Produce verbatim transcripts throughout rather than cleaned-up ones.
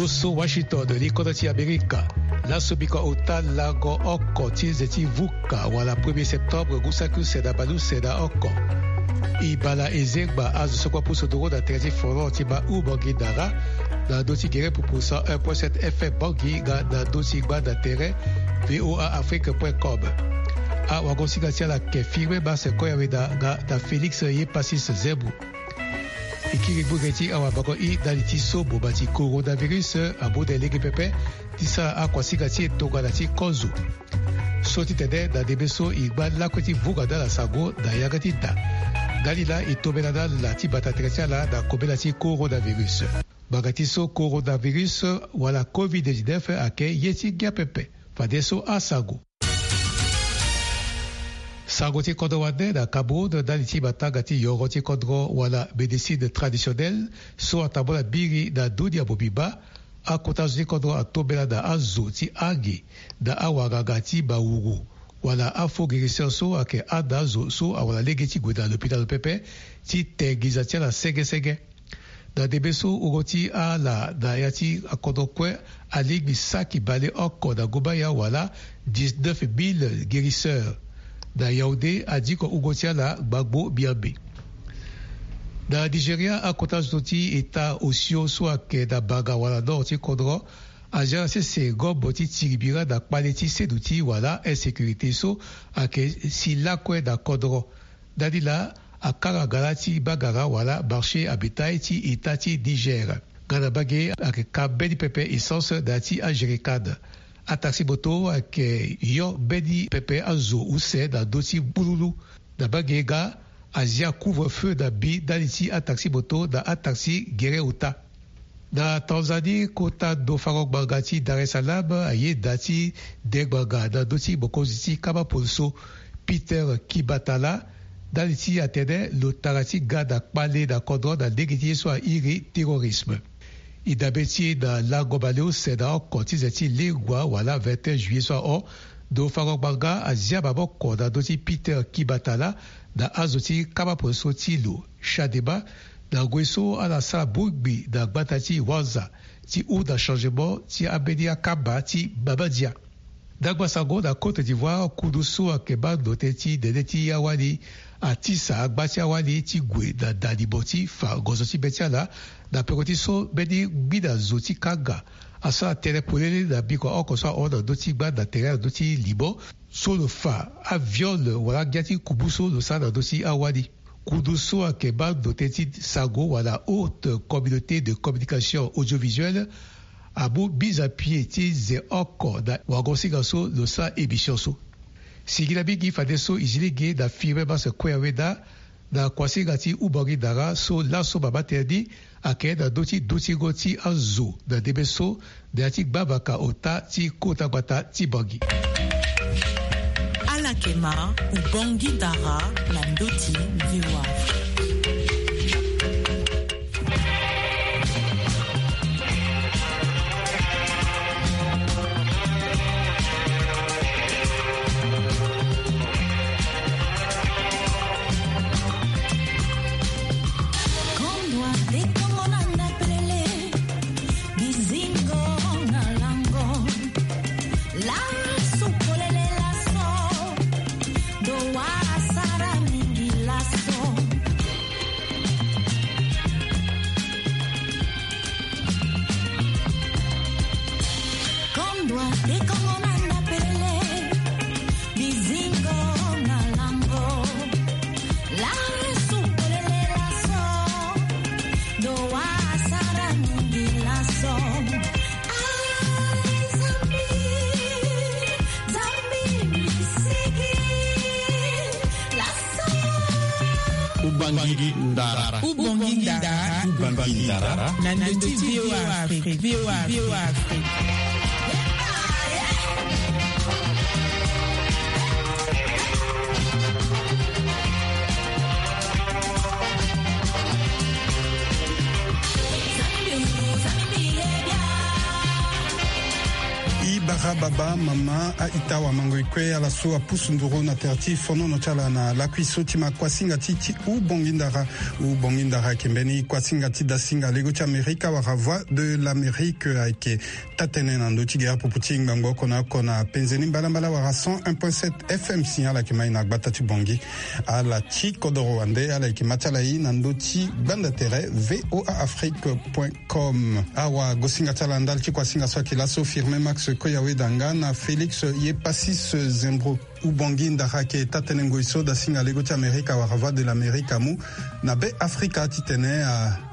So Washington, li kodro ti Amerika. Laso biko ota lango oko ti nze ti vuka wala premier septembre ngu saki use na bale use na oko. E baa na e zengba azo so kue apusu nduru na tere ti folon ti Mahu Bangui Ndara, na ndö ti gere pupu cent un point sept F M Bangui nga na ndö ti gba na tere V O A Afrique point com. Awagosinga ti ala ayeke Firmin Mars Koyaweda nga na Félix Yepasis Zembo. E kiri gbu ge ti awabango i ndali ti so boma ti coronavirus amu na e lege pepe ti sara akuasinga ti e tongana ti kozo. So ti tene na ndembe so e ngba lakue ti vunga na ala sango na yanga ti da. Ndali laa e tombela na ala ti bata tere ti ala na kobela ti coronavirus. Ngbanga ti so coronavirus wala covid dix-neuf ayeke ye ti ngia pepe. Fadeso asango. Sango ti kodro wande na Cameroun ndali ti matanga ti yoro ti kodro wala médecine traditionnelle so atambula biri na dunia mobimba. Akota zo ti kodro atombela na azo ti ange na awanganga ti mawuru wala afaux guérisseur so ayeke handa azo so awara lege ti gue na lopitalo pepe ti te nginza ti ala senge senge. Na ndembe so wungo ti ala na ya ti akodro kue alingbi saki bale oko na ngomba ya wala dix-neuf mille guérisseurs. Na Yaoundé adiko wungo ti ala gbangbo miambe. Na Nigeria akota zo ti eta osio so ayeke na banga wala nord ti kodro azia na sese ngombo ti tiri bira na kpale ti seduti wala insécurité so ayeke si lakue na kodro. Ndali laa akanga ngala ti bagara wala marché à bétail ti eta ti Niger. Nga na mbage ayeke ka mbeni pepe essence na ya ti ajerikane. Ataxi moto ayeke yo mbeni pepe azo use na ndö ti bululu. Na mbage nga azia couvre-feu na mbi ndali ti ataxi moto na ataxi gere ota. Na Tanzanie, kota ndo fango ngbanga ti Dar es Salaam ayeda ti de ngbanga na ndö ti mokonzi ti kama poliso Peter Kibatala ndali ti atene lo tara ti ga na kpale na kodro na lege ti ye so airi terrorisme. E dabe ti e na lango baleuse na oko ti ze ti lengua wala vingt et un juillet so ahon, ndo fango ngbanga azia maboko na ndö ti Peter Kibatala na azo ti kama poliso ti lo Chadema, na ngoi so ala sara bongbi na gbata ti Wanza ti hunda changement ti ambeni akamba ti Mabadia. Ndagba sango na Côte d'Ivoire, kundu so ayeke baa ndo tënë ti nene ti awali atisa agba ti awali ti gue na da limo ti fa ngonzo ti be ti ala. Na peko ti so mbeni ngbina zo ti kanga asara tënë polele na biko oko so ahon na ndö ti gba na tere na ndö ti limo so lo fa aviol wala angia ti kubu so lo sara na ndö ti awali. Kundu so ayeke baa ndo tënë ti sango wala Haute Communauté de Communication Audiovisuelle amu mise à pied ti ze oko na wango-singa so lo sara émission so. Singila mingi fadeso e zi lege na Firmin Mars Koyaweda na kuasinga ti Ubangi Dara so laso mama tënë ni ayeke na ndö ti dutingo ti azo na ndembe so na ya ti gbavaka ota ti kota gbata ti Bangi. Ala yeke ma Ubangi Dara na ndö ti V O A. Kondwa te kongo na ndapelele, bizingo na lango. Lasu polele laso, do wa asara mingi laso. Kondwa te kongo na ndapelele, bizingo na lango. Lasu polele laso, do wa asara mingi laso. Ai Zambi, Zambi misigi. Ubangi Ndara. Ubangi Ndara. Ubangi Ndara. Na ndö ti V O A Afrique. V O A Afrique. I baka Ababa, mama, a-ita, wamango-ekue, ala so apusu nduru na tere ti fonono ti ala na lakui so ti ma kuasinga ti ti Ubongi Ndara. Ubongi Ndara ayeke mbeni kuasinga ti dasinga lego ti Amerika wala Voix de l'Amérique, ayeke taa-tënë na ndö ti gere pupu ti ngbangbo oko na oko na penze ni mbalambala wala cent un point sept F M si ala yeke ma e na gbata ti Bongi. Ala ti kodoro wande, ala yeke ma ti ala e na ndö ti gbanda tere V O A Afrique point com. Awagosinga ti ala ndali ti kuasinga so ayeke laso, Firmin Max Koyaweda nga na Félix Yepasis Zembro. Ubongi Ndara ayeke taa-tënë ngoi so dasinga lego ti Amerika wala Voix de l'Amérique amu na Be Afrika titene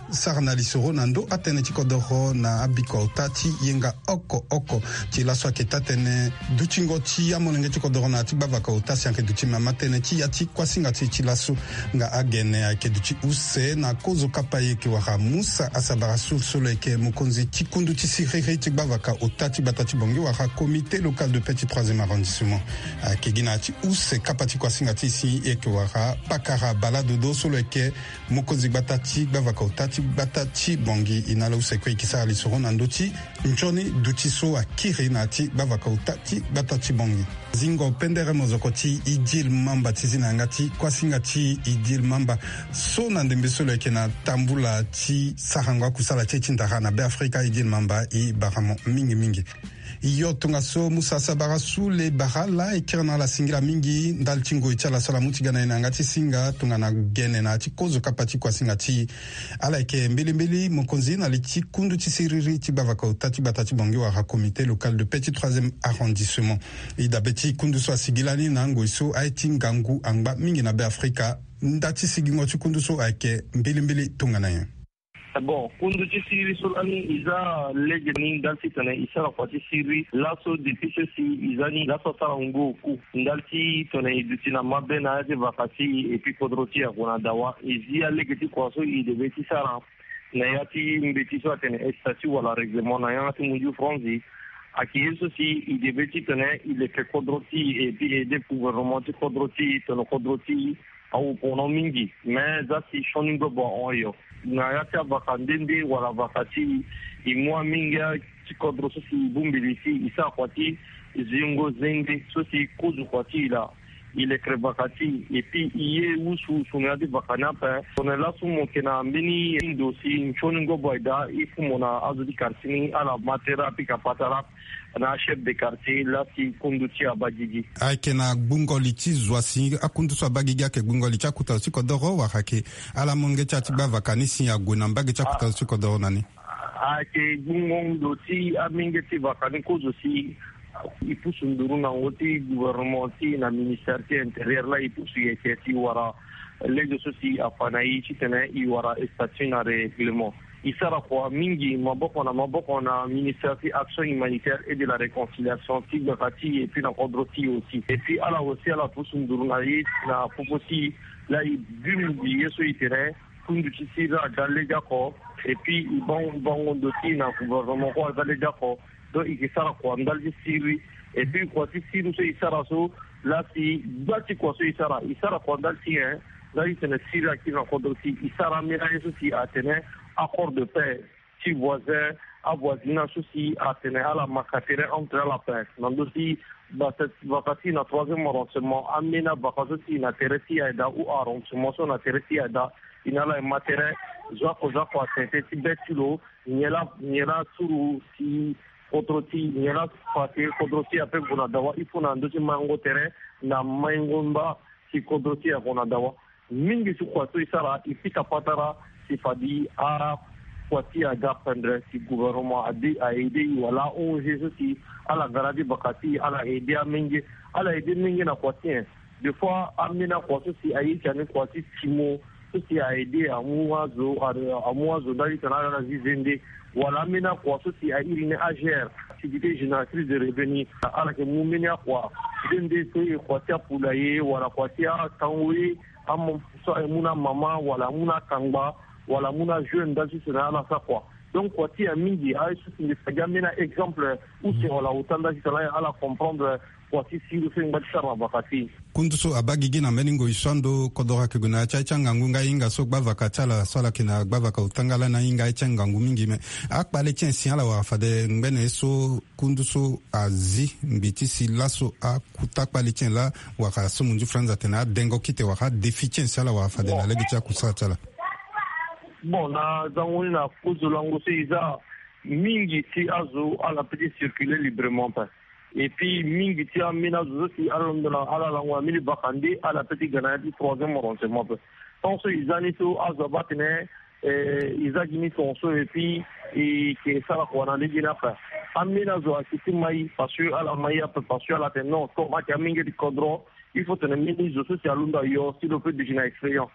asara na lisoro na ndö atënë ti kodoro na abiko ota ti yenga oko oko. Ti laso ayeke taa-tënë dutingo ti amolenge ti kodoro na ya ti gbavaka ota si ayeke duti mama tënë ti ya ti kuasinga ti e ti laso. Nga agene ayeke duti use na kozo kapa e yeke wara Musa Asabara Sul so lo yeke mokonzi ti kundu ti siriri ti gbavaka ota ti gbata ti Bongi wara Comité Local de Paix ti troisième arrondissement. Ayeke gi na ya ti use kapa ti kuasinga ti e si e yeke wara Pakara Bala Dodo so lo yeke mokonzi gbata ti gbavaka ota ti gbata ti Bongi. E na ala use kue e yeke sara lisoro na ndö ti nzoni duti so akiri na ya ti gbavaka ota ti gbata ti Bongi. Zingo pendere mozoko ti Idil Mamba ti zi na yanga ti kuasinga ti Idil Mamba so na ndembe so lo yeke na tambula ti sarango akusala ti e ti ndara na Be Afrika. Idil Mamba, e bara mo mingi mingi. Yo, tongaso Musa Sabara Sule bara ala, e kiri na ala singila mingi ndali ti ngoi ti ala so ala mu ti ga na e na yanga ti singa tongana gene na ya ti kozo kapa ti kuasinga ti e. Ala yeke mbilimbili mokonzi na li ti kundu ti siriri ti gbavaka ota ti gbata ti Bongi wala Comité Local de Paix ti troisième arrondissement. E dabe ti kundu so asigi lani na ngoi so aye ti ngangu angba mingi na Be Afrika. Nda ti sigingo ti kundu so ayeke mbilimbili tongana nyen? Bon, kundu ti siriri so lani e za lege ni ndali titene e sara kua ti siriri laso. Depuis so si e za ni laso asara ngu oku ndali titene e duti na mabe na ya ti vaka ti e, et puis kodro ti e ague na dawa. E zi alege ti kua so e debe ti sara na ya ti mbeti so atene statut wala règlement na yanga ti munju franzi. Ayeke ye so si e debe titene e leke kodro ti e, et puis e aide gouvernement ti kodro ti e tongana kodro ti e awu pono mingi. Me za si sioni ngobo ahon yo na ya ti avaka nde nde wala vaka ti e, e mu amingia ti kodro so si e bongbi li si e sara kua ti zingo zende so si e kozo kua ti e laa. E lekere vaka ti e, et puis e ye wusuwusu na ya ti vaka ni ape. Tongana laso mo yeke na mbeni ndo si nsioni ngobo aye daa, il faut mo na azo ti quartier ni ala ma tere apika patara na achef de quartier laa si kundu ti e abaa gigi. Ayeke na gbungo li ti zo asi akundu so abaa gigi, ayeke gbungo li ti akota zo ti kodoro wala ayeke ala molenge ti ala ti gbavaka ni si ague na mbage ti akota zo ti kodoro na ni? Ayeke gbungo ndo ti amenge ti vaka ni kozo si e pusu nduru na ngo ti gouvernement ti e na ministère ti intérieur laa e pusu yeke ti wara lege so si afa na e titene e wara statut na règlement. E sara kua mingi maboko na maboko na ministère ti action humanitaire et de la réconciliation ti gbaka ti e, et puis na kodro ti e aussi. Et puis ala aussi ala pusu nduru na e na popo ti e laa e bimbi ye so e tene kundu ti siriri aga legeoko, et puis e bango bango ndo ti e na gouvernement kue aga legeoko. Donc e ke sara kua ndali ti siriri. Et puis kua ti siriri so e sara so laa si gba ti kua so e sara, e sara kua ndali ti e, ndali ti tene siriri akiri na kodro ti e. E sara ambeni aye so si atene accord de paix ti voisin, avoisinage so si atene ala maka tere entre ala ape na ndö ti vaka ti e na troisième arrondissement. Ambeni avaka so si na tere ti e aye daa ou arrondissement so na tere ti e aye daa, e na ala e ma tere zo oko zo oko atene ti be ti lo. Nyen laa nyen laa suru si kodro ti e, nyen laa fa si kodro ti e ape gue na dawa. Il faut na ndö ti maingo tere na maingo mba si kodro ti e ague na dawa. Mingi ti kua so e sara e pika patara si fade akua ti e aga pendre si gouvernement ade a aide e wala a-O N G so si ala ga na ya ti vaka ti e ala aide amenge, ala aide menge na kua ti e. Des fois ambeni akua so si aye ti ani kua ti timo so si a aide amu azo, amu azo ndali ti tene ala zi zende. Wala ambeni akua so si a iri ni A G R, activité génératrice de revenu, ala yeke mu mbeni akua nde nde so e kua ti apoulailler wala kua ti atango ye, amu so amu na amama wala amu na akangba wala amu na ajeune ndali ti tene ala sara kua. Donc kua ti e amingi aye so si mbi fa gi ambeni a-exemple use wala ota ndali ti tene ala comprendre Kua ti siri so e ngba ti sara na vaka ti e. Kundu so abaa gigi na mbeni ngoi so ando kodoro ayeke gue na ya ti aye ti angangu nga e hinga so gbavaka ti ala so ala yeke na gbavaka otanga lani ahinga aye ti angangu mingi. Me akpale ti en si ala wara fade ngbene ye so kundu so azi mbi ti si laso akuta kpale ti en laa wara so munzu franz atene adengo kite wara adéfi ti en si ala wara fade na lege ti akusala ti ala. Bon, na zango ni na kozo lango so e za mingi ti azo ala peut ti circuler librement pe. Et puis mingi ti ambeni azo so si ala londo na ala lango na mbeni vaka nde ala peut ti ga na ya ti troisième renseignement pe. Tant so e za ni so azo abaa tene eh, e za gi ni tongaso et puis e ke sara kua na lege ni ape. Ambeni azo ayeke ti mai parce que ala mai ape parce que ala tene non comme ayeke amenge ti kodro. Il faut tene mbeni zo so si alondo ayo si lo peut duti na expérience.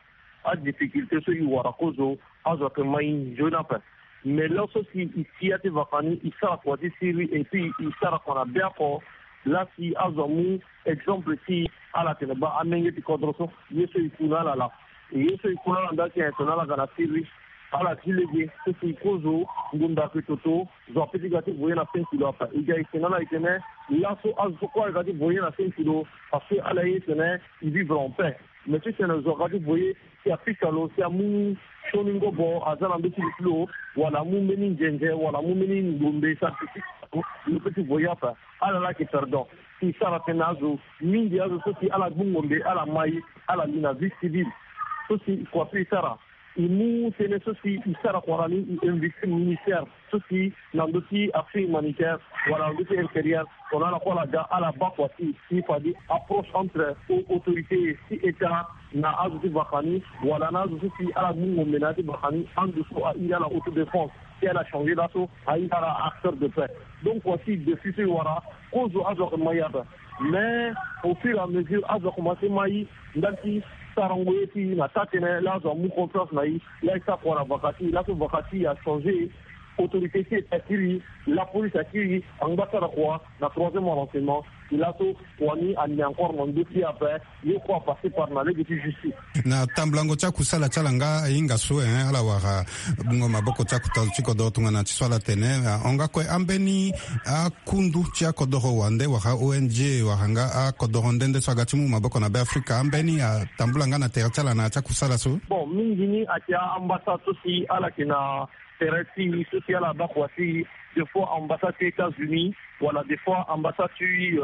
Adifficulté so e wara kozo azo ayeke mai nzoni ape. Mais lo so si e ti ya ti vaka ni e sara kua ti siri et puis e sara kua na be oko. Laa si azo amu exemple ti ala tene baa amenge ti kodro so ye so e ku na ala laa. E ye so e ku na ala ndali ti en tene ala ga na siri. Ala ti lege so si e kozo ngonda ayeke toto. Zo ape ti ga ti voye na cinq kilo ape e ga e tene ala e tene laso azo so kue ala ga ti voye na cinq kilo. Parce que ala ye tene e vivre en paix. Mais ti tene zo aga ti voye si apika lo si amu sioni ngobo aza na ndö ti li ti lo wala amu mbeni nzenze wala amu mbeni ngombe sara ti ti lo lo peut ti voye ape. Ala laa ayeke perdant. Si e sara tënë na azo mingi azo so si ala gbu ngombe ala mai ala li na vie civile. So si kua so e sara e mu tënë so si e sara kua na ni e investi ministère so si na ndö ti action humanitaire wala na ndö ti intérieur. Tongana ala kue ala ga ala baa kua ti e si fade approche entre autorité ti état na azo ti vaka ni wala na azo so si ala gbu ngombe na ya ti vaka ni ando so a iri ala autodéfense. Si ala changer laso a iri ala acteur de paix. Donc kua ti défi so e wara kozo azo ayeke mai ape. Mais au fur et à mesure azo akomanse mai ndali ti sarango ye ti e na taa tënë laa azo amu confiance na e. Laa e sara kua na vaka ti e laso vaka ti e achanger. Autorité ti état akiri lapolice akiri angba sara kua na troisième renseignement. E laso kua ni ane encore na ndö ti e ape. Ye kue apasser par na lege ti justice. Na tambulango ti akusala ti ala nga ahinga so eh, ala wara bungo maboko ti akuta zo ti kodoro tongana ti so ala tene ahon nga kue ambeni akundu ti akodoro wande wala ong wala nga akodoro nde nde so aga ti mu maboko na be afrika ambeni atambula nga na tere ti ala na ya ti akusala so. Bon mingi ni ayeke ambassade so si ala yeke na tere ti so si ala baa kua ti des fois ambassade ti états-unis wala des fois ambassade ti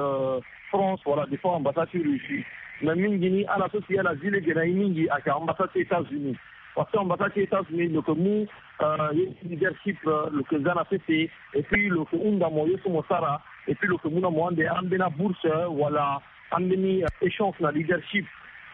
france wala des fois ambassade ti russie. Mais mingi ni ala so si ala zi lege na e mingi ayeke ambassade ti états-unis. Parce que ambassade ti états-unis lo yeke mu ye ti leadership lo yeke za na sese. Et puis lo yeke hunda mo ye so mo sara. Et puis lo yeke mu na mo ande ambeni abourse wala ambeni échange na leadership.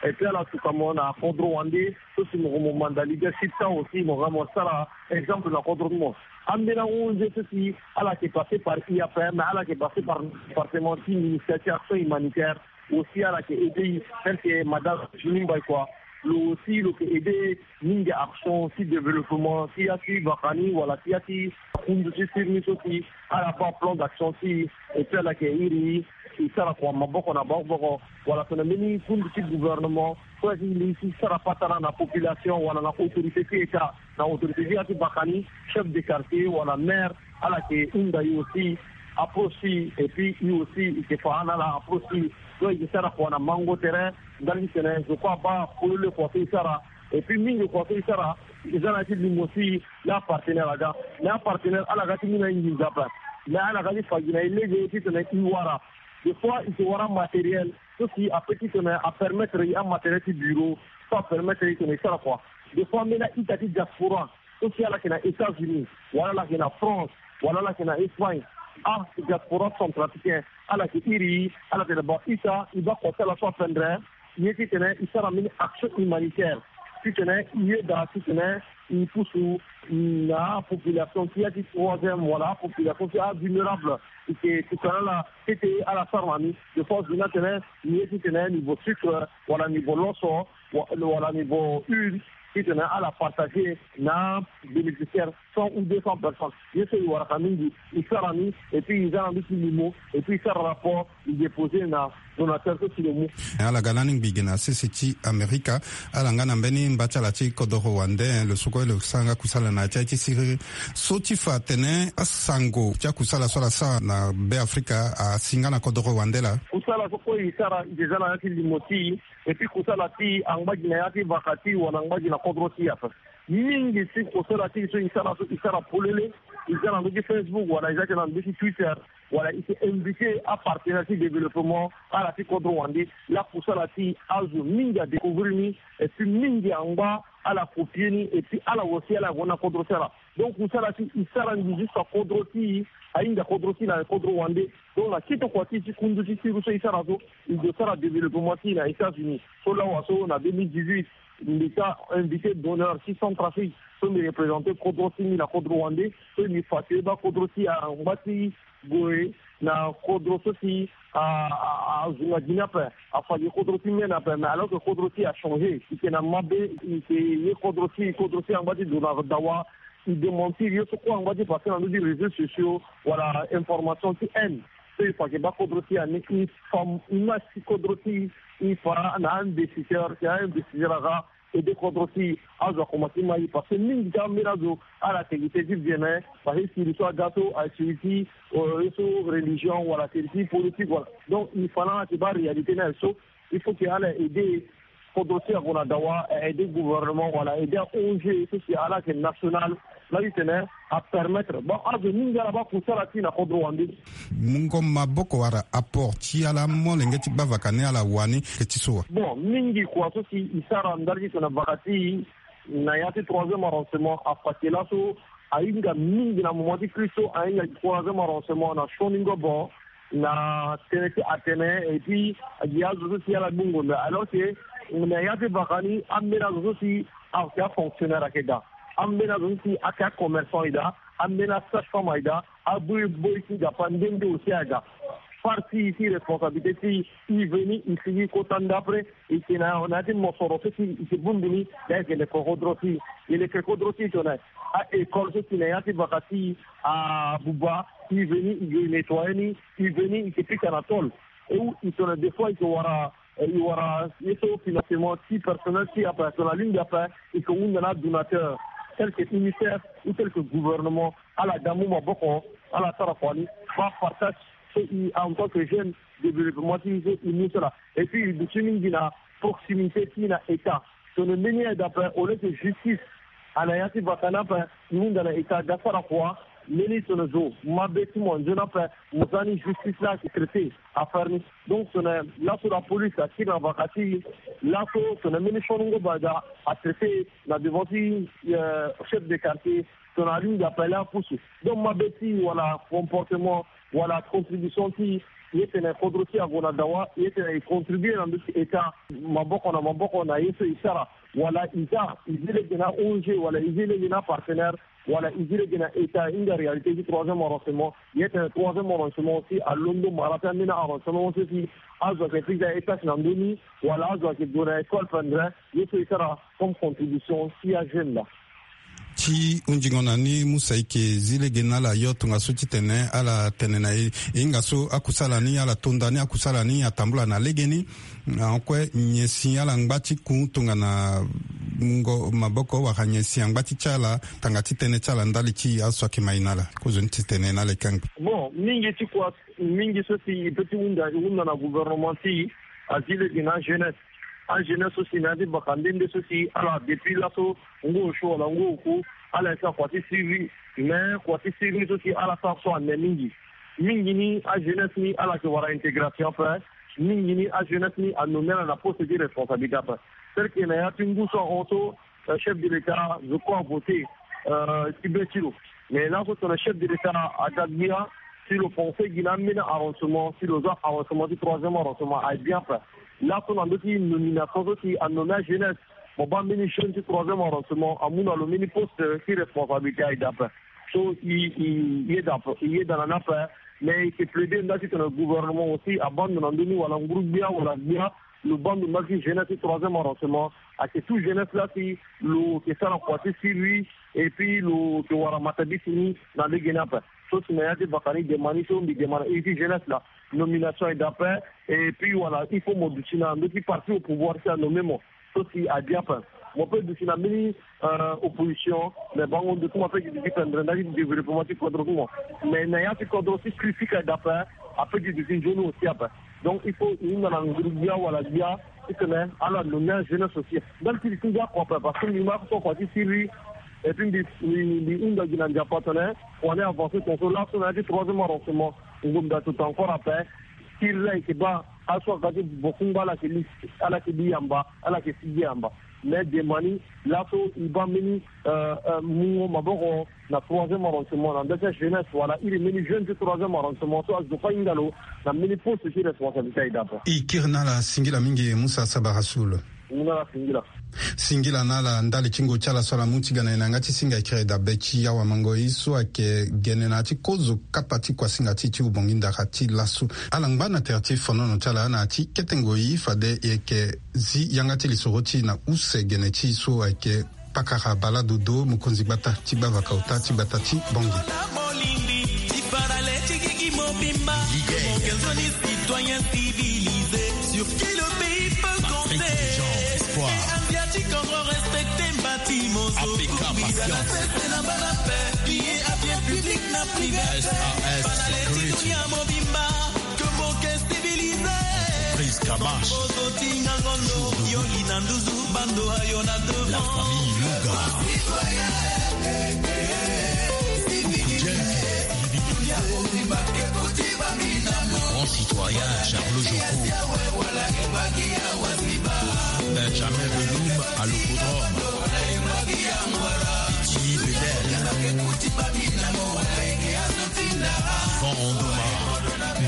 Et puis ala tuka mo na kodro wande so si mo mo manda leadership ti awe aussi mo ga mo sara exemple na kodro ti mo. Ambeni ahon nde so si ala yeke passer par i a p m ala yeke passer par département ti ministère ti action humanitaire. Aussi ala yeke aider i tel que madame juni mbai kua. Lo aussi lo yeke aider mingi action ti développement ti ya ti vaka ni wala ti ya ti kundu ti siri ni so si ala baa plan d'action ti i. Et puis ala yeke iri i sara kua maboko na maboko wala tongana mbeni kundu ti gouvernement so ya ti li ti sara patara na population wala na autorité ti état na autorité ti ya ti vaka ni chef de quartier wala maire. Ala yeke hunda i aussi approche ti i et puis i aussi i yeke fa na ala approche ti i. Donc i yeke sara kua na mango tere ndali ti tene zo kue abaa polele kua so i sara. Et puis mingi kua so i sara i za na ya ti limo ti i. Laa apartenaire aga mais apartenaire ala ga ti mu na i nginza ape. Mais ala ga ti fa gi na i lege ti tene i wara. Des fois i ke wara matériel so si ape ti tene apermettre i amatériel ti bureau so apermettre i tene i sara kua. Des fois ambeni a-ita ti diaspora so si ala yeke na états-unis wala ala yeke na france wala ala yeke na espagne. Ah, diaspora centrafricain ala yeke iri i ala tene ba ita i baa kua ti ala so apendre ye ti tene i sara mbeni action humanitaire ti tene i yeda ti tene i pusu na apopulation ti ya ti troisième wala apopulation ti avulnérable. I ke tuka na ala tete ala sara na ni. Des fois zo ni atene ni ye ti tene niveau sucre wala niveau loso wala niveau huile. Titene ala partager na bénéficiaire cent ou deux cents personnes. Ye so e waraka mingi, e sara ni, et puis e za na nduti limo, et puis e sara rapport, e déposer na donateur so si lo mu. Ala ga lani ngbi gi na sese ti Amerika. Ala nga na mbeni mba ti ala ti kodoro wande, lo so kue lo sara nga kusala na ya ti aye ti siriri. So ti fa atene asango ti akusala so ala sara na be Afrika asi nga na kodoro wande laa. Kusala so kue e sara e za na ya ti limo ti e, et puis kusala ti e angba gi na ya ti vaka ti e wala angba gi na kodro ti e ape. Mingi ti kusala ti e so e sara so e sara polele, e za na ndö ti Facebook wala e za ti na ndö ti Twitter, wala e si invité apartenaire ti développement ala ti kodro wande. Laa kusala ti e azo mingi adécouvrir ni, et puis mingi angba ala copier ni, et puis ala aussi ala gue na kodro ti ala. Donc kusala ti e sara ngi jusqu'à kodro ti e, ahinga kodro ti e na kodro wande. Donc na kete kua ti e ti kundu ti siriri so e sara so, e gue sara développement ti e na États-Unis. So lawa so na deux mille dix-huit, mbi sa invité d'honneur ti Centrafrique so mbi représenter kodro ti mbi na kodro wande. So mbi fa ti baa kodro ti e angba ti gue na kodro so si a, a, a zo na gi ni ape, afa gi kodro ti mene ape, mais alors que kodro ti e achangé, e yeke na mabe, e yeke ye kodro ti e, kodro ti e angba ti dona dawa. E démentir ye so kue angba ti passé na ndö ti réseaux sociaux wala information ti haine. So e fa yeke baa kodro ti e ani, e fa, e ma si kodro ti e, e fa na investisseur, si a investisseur aga aider kodro ti e, azo akomanse ti ma e, parce que mingi ti ambeni azo ala yeke gi tënë ti biene, parce que siriri so aga so asiriri ti, euh, ye so religion wala siriri ti politique wala. Donc e fa na ala yeke baa réalité ni aye so, il faut que ala aider kodro ti e ague na dawa, aider gouvernement wala aider a O N G so si ala yeke national, laa titene apermettre bon azo mingi ala baa kusala ti e na kodro wande. Mungo maboko wala apport ti ala molenge ti baa vaka ni ala wani ke ti so wa? Bon, mingi kua so si e sara ndali ti tene vaka ti e na ya ti troisième arrondissement, afa ti laso ahinga mingi na moment ti crise so, ahinga troisième arrondissement na sioni ngobo, na tënë ti atene, et puis agi azo so si ala gbu ngonda. Alors que na ya ti vaka ni ambeni azo so si ayeke afonctionnaire ayeke daa, ambeni azo so si ayeke acommerçant e daa, ambeni asage-femme aye daa, aboi boi ti nzapa nde nde aussi aye daa. Fâ ti e ti responsabilité ti e, e veni e sigi kota ndapre, e yeke na, na ya ti mosoro so si e yeke bongbi ni, na e yeke leke kodro ti e, e leke kodro ti e tongana a-école so si na ya ti vaka ti e abuba, e veni e yeke nettoyer ni, e veni e yeke pika na tôle. E wu e tongana des fois e yeke wara, e wara ye so financement ti personnel ti e ape, tongana alingbi ape, e yeke hunda na adonateur, tel que UNICEF ou tel que gouvernement, ala ga mu maboko, ala sara kua ni, baa partage so e en tant que jeune, développement ti e so e mu so laa. Et puis e duti mingi na proximité ti e na État. Tongana mbeni aide ape, au lieu que justice ana ya ti vaka ni ape, e hunda na État ga sara kua, mbeni tongana zo mabe ti mo nzoni ape, mo za ni justice laa ayeke traiter affaire ni. Donc tongana laso la police akiri na vaka ti e, laso tongana mbeni sioni ngobo aye daa, atraiter na devant ti, euh, chef de quartier, tongana alingbi ape laa apusu. Donc mabe ti e wala comportement wala contribution ti e, e tene kodro ti e ague na dawa, e tene e contribuer na ndö ti État, maboko na maboko na ye so e sara. Wala e za, e zi lege na O N G, wala e zi lege na partenaire, wala e zi lege na État, e hinga réalité ti troisième arrondissement. E tene troisième arrondissement aussi alondo mara ti ambeni arrondissement so si azo ayeke fixer étage na ndö ni, wala azo ayeke gue na école pendere, ye so e sara comme contribution ti ajeune laa. Ti hunzingo na ni, Musa, e yeke zi lege na ala yo tongaso titene ala tene na e, e hinga so akusala ni, ala tonda ni akusala ni atambula na legeni. Ahon kue nyen si ala ngba ti ku tongana mungo maboko wala nyen si angba ti ti ala tanga ti tënë ti ala ndali ti azo so ayeke ma e na ala? Kozoni titene na ala e kangbi. Bon, mingi ti kua, mingi so si e peut ti hunda, e hunda na gouvernement ti e, azi lege na ajeunesse. Ajeunesse so si na ya ti baka nde nde so si ala depuis laso ngu osio wala ngu oku, ala yeke sara kua ti siriri. Mais kua ti siriri so si ala sara so ane mingi. Mingi ni ajeunesse ni ala yeke wara intégration ape. Mingi ni ajeunesse ni anommé ala na poste ti responsabilité ape. Tel que na ya ti ngu so ahon so, euh, chef de l'État, je crois, avoté, euh, ti be ti lo. Mais laso tongana chef de l'État aga gbia, si lo pensé gi na ambeni arrondissement, si lo za arrondissement ti troisième arrondissement, aye bien ape. Laso na ndö ti nomination so si anommé ajeunesse, mo baa mbeni jeune ti troisième arrondissement amu na lo mbeni poste ti responsabilité, aye daa ape. So e, e, e yeda ape, e yeda na ni ape. Mais e yeke plaider nda titene gouvernement aussi abaa ndo na ndö ni, wala nguru gbia wala gbia, Lo baa ndo mbaki jeunesse ti troisième arrondissement, ayeke tout jeunesse laa si lo yeke sara kua ti siriri, et puis lo yeke wara matabisi ni na lege ni ape. So si na ya ti vaka ni, dema ni so mbi dema na iri ti jeunesse laa, nomination ayeke daa ape. Et puis wala il faut mo duti na ndö ti parti au pouvoir si anomme mo. So si abia ape, mo peut duti na mbeni opposition, mais bango ndo ti mo ape ti duti pendre nda ti développement ti kodro ti mo. Mais na ya ti kodro ti critique ayeke daa ape, ape ti duti nzoni aussi ape. Donc il faut e hinga na nguru gbia wala gbia titene ala nomme ajeunesse aussi. Ndali ti li ti ngia kua ape, parce que mbi ma so kua ti siriri. Et puis mbi mbi hunda gi na Nzapa atene kua ni avance tongaso laso na ya ti troisième arrondissement. Ngombe atuta encore ape. Siriri ayeke baa aso aga ti bokungba ala yeke li, ala yeke li yamba, ala yeke sigi yamba. Mais dema ni laso e baa mbeni mungo maboko na troisième arrondissement na nda ti ajeunesse wala iri mbeni jeune ti troisième arrondissement so azo fa hinga lo na mbeni poste ti responsabilité ayeke daa ape. E kiri na ala singila mingi Musa Sabara Soul. Singila na ala ndali ti ngoi ti ala so ala mu ti ga na e na yanga ti singa ekiri dabe ti awamango e so ayeke gene na ya ti kozo kapa ti kuasinga ti e ti ubongi ndara ti laso. Ala ngba na tere ti fonono ti ala na ya ti kete ngoi fade e yeke zi yanga ti lisoro ti e na use gene ti e so ayeke pakara baladodo mokonzi gbata ti gbavaka ota ti gbata ti Bangui. Citoyen civilisé, sur qui le pays peut compter. Asiatique, encore respecté, bâtiment, A P K, Patience. Pese na bana pe, billet à bien public na privé. S A S Security. Dunia mobimba, que mon cœur civilisé. Prise Kamash. Ozotinga ngondo, yo lina nduzu, bando ayo na devant. La famille Louga. Grand citoyen Charles Joko. Benjamin Belum à l'Hippodrome. Petit Bedel. Van Ondoma.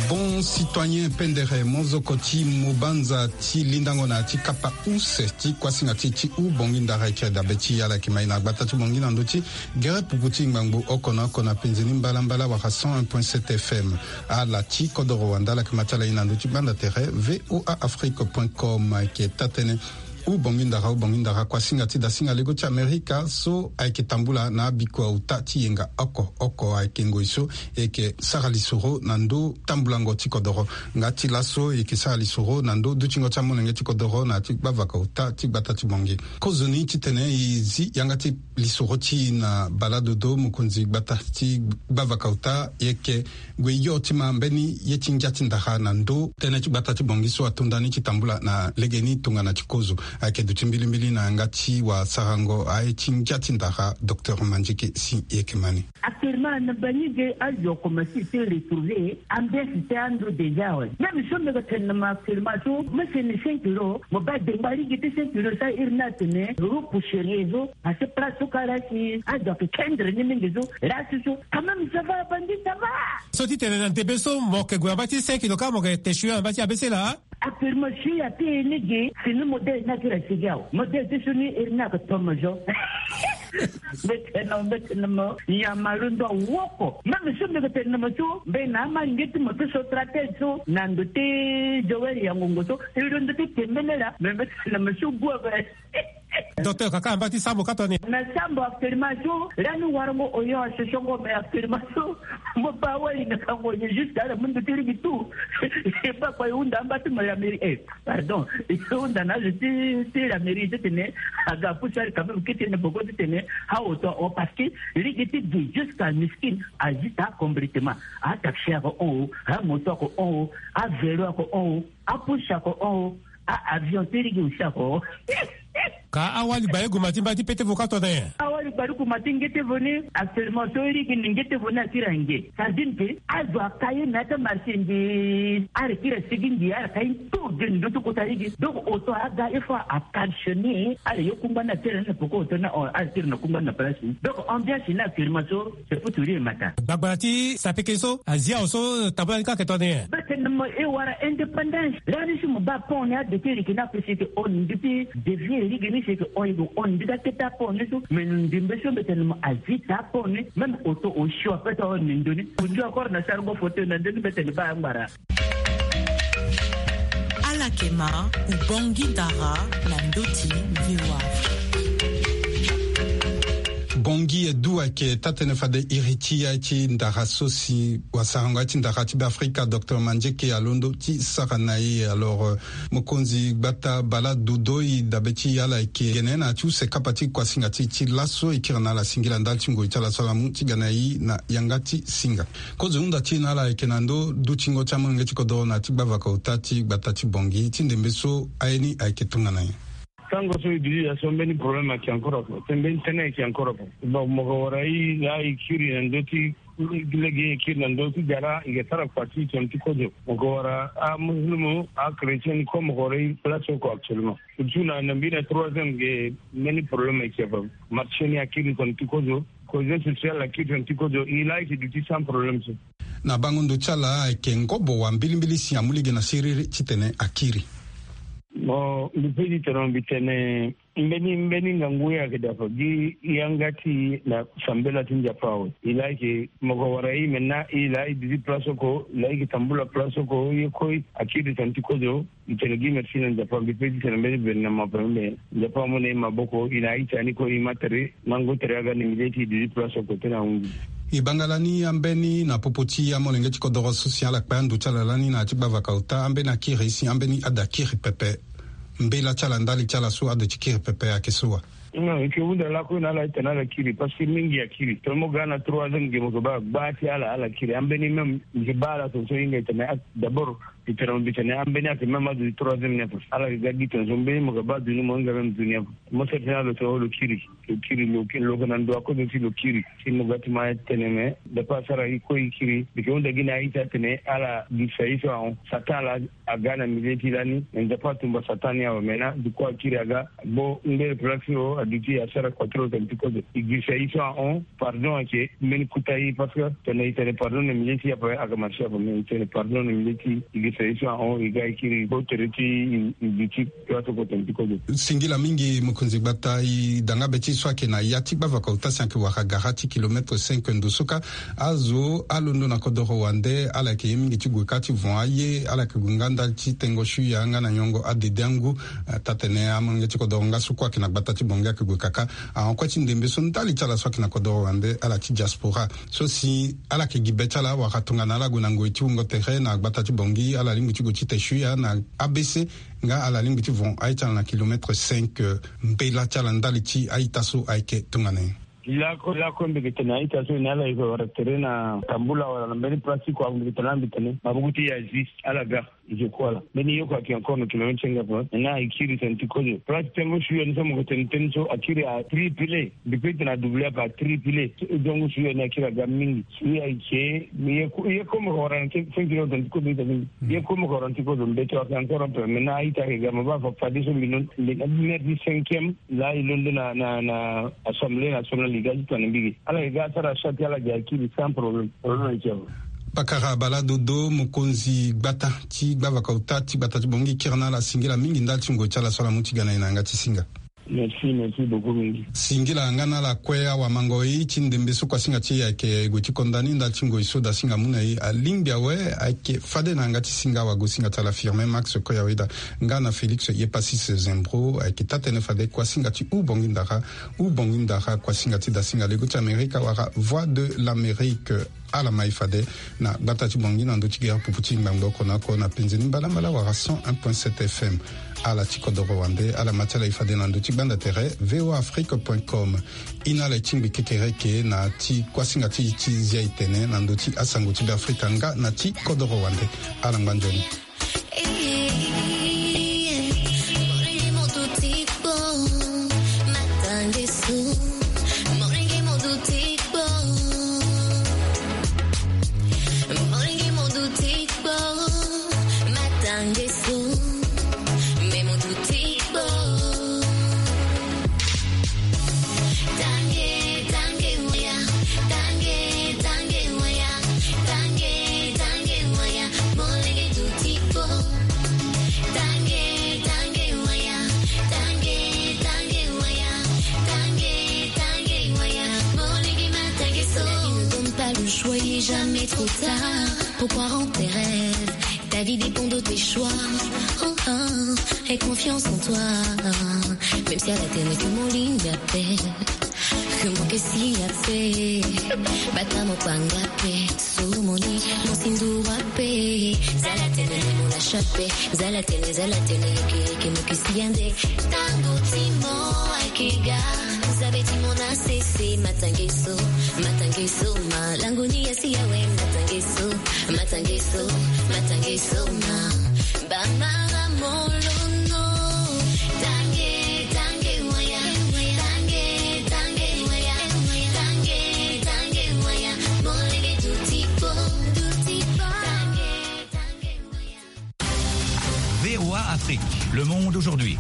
Bon citoyen Pendere, mozoko ti mobanza ti lindango na ti kapa use ti kuasinga ti ti ubongi ndara eke dabe ti ala yeke mai na gbata ti bongi na ndö ti gere puku ti ngbangbo oko na oko na penze ni mbalambala wala cent un point sept F M. Ala ti kodoro wanda ala yeke ma ti ala ye na ndö ti gbanda tere V O A Afrique point com ayeke taa-tënë. Ubongi ndara, ubongi ndara, kuasinga ti dasinga lego ti Amerika so ayeke tambula na abiko auta ti yenga oko oko ayeke ngoi so e yeke sara lisoro na ndö tambulango ti kodoro. Nga ti laso e yeke sara lisoro na ndö dutingo ti amolenge ti kodoro na ya ti gbavaka auta ti gbata ti bongi. Kozoni titene e zi yanga ti lisoro ti e na baladodo mokonzi gbata ti gbavaka auta, e yeke gue yo ti ma mbeni ye ti ngia ti ndara na ndö tënë ti gbata ti bongi so ato ndani ti tambula na legeni tongana ti kozo. Ayeke duti mbilimbili na yanga ti wasarango aye ti ngia ti ndara, Docteur Mandieke si e yeke ma ni. Actuellement na bangi ge azo akomanse ti retrouver ambiance ti ando déjà awe. Même so mbi yeke tene na mo actuellement so mo sene cinq kilo, mo baa dengba lege ti cinq kilo so iri ni atene repousserier so. Parce que place so kara si azo ayeke kendre ni mingi so, là so so quand même ça va, bandi ça va. So ti tene na ndembe so mo yeke gue na mba ti cinq kilo kâ, mo yeke te sio na mba ti abesela. Actuellement si ape ni ge, fini modèle ni akiri asigi awe. Modèle ti so ni iri ni ayeke tomo zo. Mbe tene mo, mbe tene mo, nyama londo awoko. Même so mbi yeke tene na mo so mbe na ama nge ti mo ti so tratele so na ndo ti Joël ya ngongo so, e londo ti tembele laa. Mais mbe tene na mo so gu ape. Docteur, kaka na mba ti sambo ka tongana nyen? Na sambo actuellement so lani warango oyo asosongo, mais actuellement so mo baa wali na kango ye jusqu'à la mundu ti ligi tout. E baa kua e hunda amba ti mo la mairie, eh, pardon, e hunda na azo ti ti la mairie titene aga apusu ali quand même kete na boko titene aoto ahon, parce que ligi ti gi jusqu'à miskin azi taa complètement. Ataxi ako hon o, amoto ako hon o, avelo ako hon o, apusu ako hon o. Ah, avion ti ligi aussi ako. Ka awali baleguman ti mba ti pete vo ka tongana nyen? Awali baleguman ti nge ti vo ni, actuellement so ligi ni nge ti vo ni akiri ange. Ça veut dire que azo aka ye na ya ti amarché nge, ala kiri asigi nge, ala ka ye tout de ndö ti kota ligi. Donc auto aga il faut a cautionner, ala yo kungba ni atene na poko auto ni, ala tiri na kungba ni na place ni. Donc ambiance ni actuellement so, c'est pour tout dire matin. Gbagbara ti sapeke so azi awe so tambula ni ka ayeke tongana nyen? Mbe tene mo e wara indépendance. Lani si mo baa pont ni ado ti leke ni ape si e yeke hon ni, mbi ti dévier lege ni si e yeke hon, e yeke hon ni, mbi ti akete apont ni so. Mais ndembe so mbe tene mo azi taa pont ni, même auto osio ape ti ahon ni ndo ni. Ondio encore na sarango fauteuil na ndo ni, mbe tene baa angbara. Akema, Ubongi Dara, na ndoti V O A. Bongi edu ayeke taa-tënë fade iri ti ya ti ndara so si wasarango ya ti ndara ti Beafrika, docteur Mandieke, alondo ti sara na e. Alors, euh, mokonzi gbata Bala Dodo, e dabe ti ala ayeke gene na ya ti use kapa ti kuasinga ti e ti laso. E kiri na ala singila ndali ti ngoi ti ala so ala mu ti ga na e na yanga ti singa. Kozo hunda ti e na ala ayeke na ndo dutingo ti amolenge ti kodoro na ya ti gbavaka ota ti gbata ti Bongi ti ndembe so aye ni ayeke tongana nyen? Tango so e duti ya so mbeni problème ayeke encore ape, mbeni tënë ayeke encore ape. Bon, mo ko wara e, la e kiri na ndö ti lege, e kiri na ndö ti gara, e ke sara kua ti tene ti kozo. Mo ko wara amusulumu, achrétien ni ko, mo ko wara e place oko actuellement. Surtout na, na mbi na troisième ge, mbeni problème ayeke ape. Marché ni akiri tene ti kozo. Cohésion sociale akiri tene ti kozo, e la e ke duti sans problème so. Na bango ndo ti ala ayeke ngobo wa mbilimbili si amu lege na siriri titene akiri. Mo, mbi pe ti tene, mbi tene, mbeni, mbeni ngangu ye ayeke daa ape gi yanga ti e na sambela ti Nzapa awe. E la e ke, mo ko wara e, maintenant e la e duti place oko, la e ke tambula place oko, ye kue akiri tene ti kozo. E tene gi merci na Nzapa, mbi pe ti tene mbeni gouvernement ape, me Nzapa amu na e maboko, e na a-ita ni kue, e ma tere, mango tere aga na mbi leti e duti place oko ti na ahunzi. E banga lani ambeni na popo ti amolenge ti kodoro so si ala kpe ando ti ala lani na ya ti gbavaka ota, ambeni akiri si ambeni ade akiri pepe. Mbela ti ala ndali ti ala so ade ti kiri pepe ayeke so wa? Non, e ke hunda lakue na ala, e tene ala kiri, parce que mingi akiri. Tongana mo ga na troisième ge mo ke baa gba ti ala, ala kiri. Ambeni même, mbi ke baa ala tongaso e hinga e tene, ah, d'abord, e tene mbi tene ambeni ayeke même adu ti troisième ni ape. Ala ke ga gi tongaso mbeni mo ke baa adu ni mo hinga même du ni ape. Mo sara tënë na lo so lo kiri. Lo kiri, lo ke, lo ke na ndo akozo ti lo kiri. Si mo ga ti ma tene me, Nzapa asara e kue e kiri. Mbi ke hunda gi na a-ita atene ala girisa ye so ahon. Satan ala aga na milieu ti lani, me Nzapa atumba Satan ni awe. Maintenant du coup akiri aga, gbo ngbere place so aduti asara kua ti lo tene ti kozo. E girisa e so ahon, pardon ayeke mbeni kota e, parce que tene e tene pardon na milieu ti e ape ayeke marché ape, me e tene pardon na milieu ti e, e girisa e so ahon, e ga e kiri gbo tere ti e, e duti place oko tene ti kozo. Singila mingi mokonzi gbata, e da nga be ti e so ayeke na ya ti gbavaka ota si ayeke wara gara ti kilomètre cinq ndo so kâ. Azo alondo na kodoro wande, ala yeke ye mingi ti gue kâ ti von aye, ala yeke gue nga ndali ti tengo suya nga na nyongo adede angu. Eh, taa-tënë amolenge ti kodoro nga so kue ayeke na gbata ti Bongi ayeke gue kaka. Ahon kue ti ndembe so ndali ti ala so ayeke na kodoro wande, ala ti diaspora so si ala yeke gi be ti ala wala tongana ala gue na ngoi ti wungo tere na gbata ti Bongi, ala lingbi ti gue ti te suya na A B C, nga ala lingbi ti von a-ita na kilomètre cinq, eh, mbela ti ala ndali ti a-ita so ayeke tongana nyen? Lakue, lakue mbi yeke tene a-ita so ni ala yeke wara tere na tambula wala na mbeni place ti kua, mbi yeke tene ala, mbi tene maboko ti e azi, ala ga. Nzoko ala. Mbeni yoko ayeke encore na kilomètre ti nga ape. Maintenant e kiri tene ti kozo. Place ti tengo suya ni so mo yeke tene tënë so akiri a triplé. Mbi pe ti tene a doublé ape, a triplé. Tengo suya ni akiri aga mingi. Suya ayeke, ye ko, ye ko mo yeke wara na cinq kilo tene ti kozo, ita mingi. Ye ko mo yeke wara na ti kozo, mbeto ayeke encore un peu. Maintenant a-ita ayeke ga, mo baa fa, fade so mbi londo, mbi na première ti cinquième. Laa e londo na, na, na assemblée nationale, e ga ti tene mbi ge. Ala yeke ga asara chat ti ala ge akiri sans problème. Problème ayeke awe. Pakara Bala Dodo, mokonzi gbata ti gbavaka ota ti gbata ti Bongi, kiri na ala singila mingi ndali ti ngoi ti ala so ala mu ti ga na e na yanga ti singa. Merci, merci beaucoup mingi. Singila nga na ala kue, awamangoi ti ndembe so kuasinga ti e ayeke gue ti konda ni ndali ti ngoi so dasinga amu na e. Alingbi awe, ayeke fade na yanga ti singa, awagosinga ti ala Firmin Max Koyaweda nga na Félix Yepasis Zembro, ayeke taa-tënë fade kuasinga ti Ubongi Ndara, Ubongi Ndara, kuasinga ti dasinga lego ti Amerika wala Voix de l'Amérique. Ala ma e fade na gbata ti Bongi na ndö ti gere pupu ti ngbangbo oko na oko na penze ni mbalambala wala cent un point sept F M. Ala ti kodoro wande, ala ma ti ala e fade na ndö ti gbanda tere V O A Afrique point com. E na ala e tingbi kekereke na ti kuasinga ti e ti zia e tene na ndö ti asango ti Beafrika nga na ti kodoro wande. Ala ngba nzoni. Il ne donne pas le choix, il est jamais trop tard pour croire en tes rêves. Vie dépend de tes choix. Oh, oh, aie confiance en toi. Même si à la télé, que mon ligne d'appel. Que mon que si appel. Bata mon panga pe. So mon lit, mon sindu wape. Zala télé, mon la chape. Zala télé, zala télé, que, que mon que si ande. Tango timo, akega. Vous avez dit mon A C C, matangeso, matangeso, ma. Langoni ya si ya we, matangeso, matangeso, matangeso, ma. Bamara molono. Tange, tange, waya. Tange, tange, waya. Tange, tange, waya. Molenge dutipo, dutipo. Tange, tange, waya. V O A Afrique, le monde aujourd'hui.